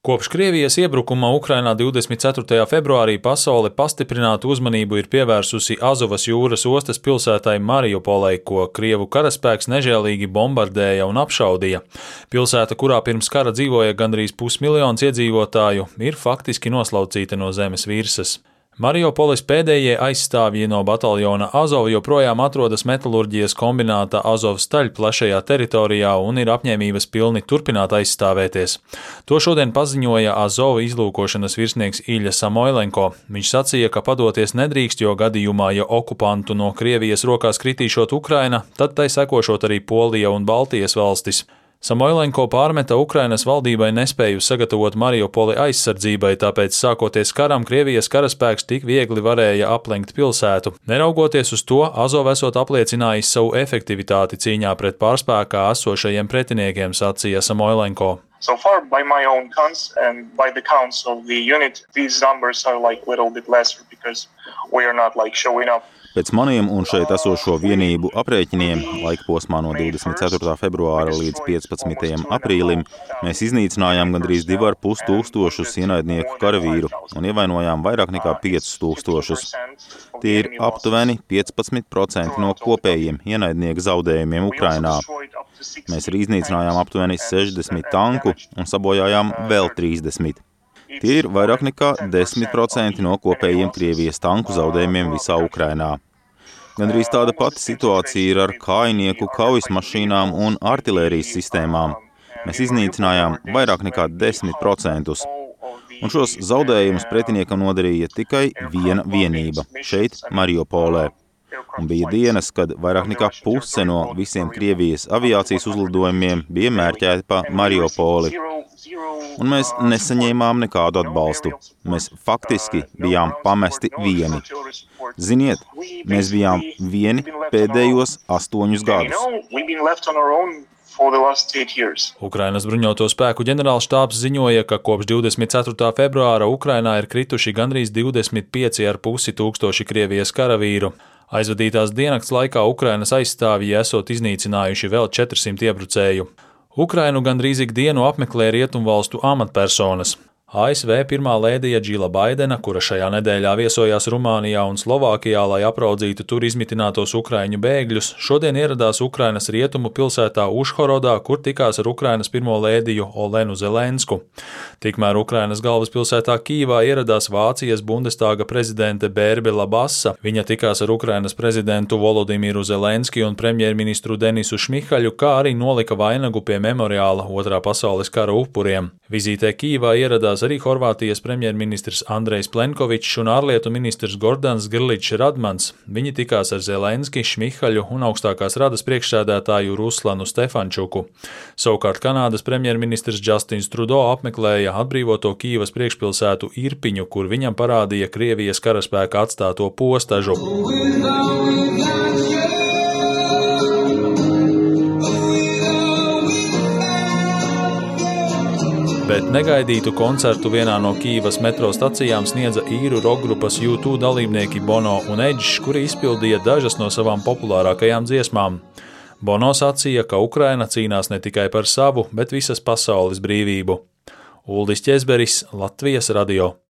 Kopš Krievijas iebrukuma Ukrainā 24. februārī pasaule pastiprinātu uzmanību ir pievērsusi Azovas jūras ostas pilsētai Mariupolei, ko Krievu karaspēks nežēlīgi bombardēja un apšaudīja. Pilsēta, kurā pirms kara dzīvoja gandrīz 500 000 iedzīvotāju, ir faktiski noslaucīta no zemes virsmas. Mariupoles pēdējie aizstāvji no bataljona Azov joprojām atrodas metalurģijas kombināta Azovstaļ plašajā teritorijā un ir apņēmības pilni turpināt aizstāvēties. To šodien paziņoja Azov izlūkošanas virsnieks Ilja Samoilenko. Viņš sacīja, ka padoties nedrīkst, jo gadījumā, ja okupantu no Krievijas rokās kritīšot Ukraina, tad tai sekošot arī Polija un Baltijas valstis. Samoilenko pārmeta Ukrainas valdībai nespēju sagatavot Mariupoli aizsardzībai, tāpēc sākoties karam Krievijas karaspēks tik viegli varēja aplenkt pilsētu. Neraugoties uz to, Azov esot apliecinājis savu efektivitāti cīņā pret pārspēkā esošajiem pretiniekiem, sacīja Samoilenko. So far, by my own counts and by the counts of the unit, these numbers are little bit lesser because we are not showing up. Pēc maniem un šeit esošo vienību aprēķiniem, laikposmā no 24. februāra līdz 15. aprīlim, mēs iznīcinājām gandrīz 2,5 tūkstošus ienaidnieku karavīru un ievainojām vairāk nekā 5,000. Tie ir aptuveni 15% no kopējiem ienaidnieku zaudējumiem Ukrainā. Mēs arī iznīcinājām aptuveni 60 tanku un sabojājām vēl 30. Tie ir vairāk nekā 10% no kopējiem Krievijas tanku zaudējumiem visā Ukrainā. Gandrīz tāda pati situācija ir ar kājnieku kaujas mašīnām un artilērijas sistēmām. Mēs iznīcinājām vairāk nekā 10%. Un šos zaudējumus pretiniekam nodarīja tikai viena vienība šeit, Mariupolē. Un bija dienas, kad vairāk nekā puse no visiem Krievijas aviācijas uzlidojumiem bija mērķēti pa Mariupoli. Un mēs nesaņēmām nekādu atbalstu. Mēs faktiski bijām pamesti vieni. Ziniet, mēs bijām vieni pēdējos 8 gadus. Ukrainas bruņoto spēku ģenerālštābs ziņoja, ka kopš 24. februāra Ukrainā ir krituši gandrīz 25,5 tūkstoši Krievijas karavīru. Aizvadītās diennakts laikā Ukrainas aizstāvji esot iznīcinājuši vēl 400 iebrucēju. Ukrainu gandrīz ikdienu apmeklē rietumvalstu amatpersonas. ASV pirmā lēdija Džila Baidena, kura šajā nedēļā viesojās Rumānijā un Slovākijā, lai apraudzītu tur izmitinātos ukraiņu bēgļus, šodien ieradās Ukrainas rietumu pilsētā Užhorodā, kur tikās ar Ukrainas pirmo lēdiju Olenu Zelensku. Tikmēr Ukrainas galvaspilsētā Kīvā ieradās Vācijas Bundestāga prezidente Bērbela Bassa. Viņa tikās ar Ukrainas prezidentu Volodimiru Zelenski un premjerministru Denisu Šmihaļu, kā arī nolika vainagu pie memoriāla Otrā pasaules kara upuriem. Vizītē Kīvā ieradās arī Horvātijas premjerministrs Andrejs Plenkovičs un ārlietu ministrs Gordans Grličs Radmans. Viņi tikās ar Zelenski, Šmihaļu un augstākās radas priekšsēdētāju Ruslanu Stefančuku. Savukārt Kanādas premjerministrs Justins Trudeau apmeklēja atbrīvoto Kīvas priekšpilsētu Irpiņu, kur viņam parādīja Krievijas karaspēka atstāto postažu. Bet negaidītu koncertu vienā no Kīvas metro stacijām sniedza īru rokgrupas U2 dalībnieki Bono un Edge, kuri izpildīja dažas no savām populārākajām dziesmām. Bono sacīja, ka Ukraina cīnās ne tikai par savu, bet visas pasaules brīvību. Uldis Ķezberis, Latvijas radio.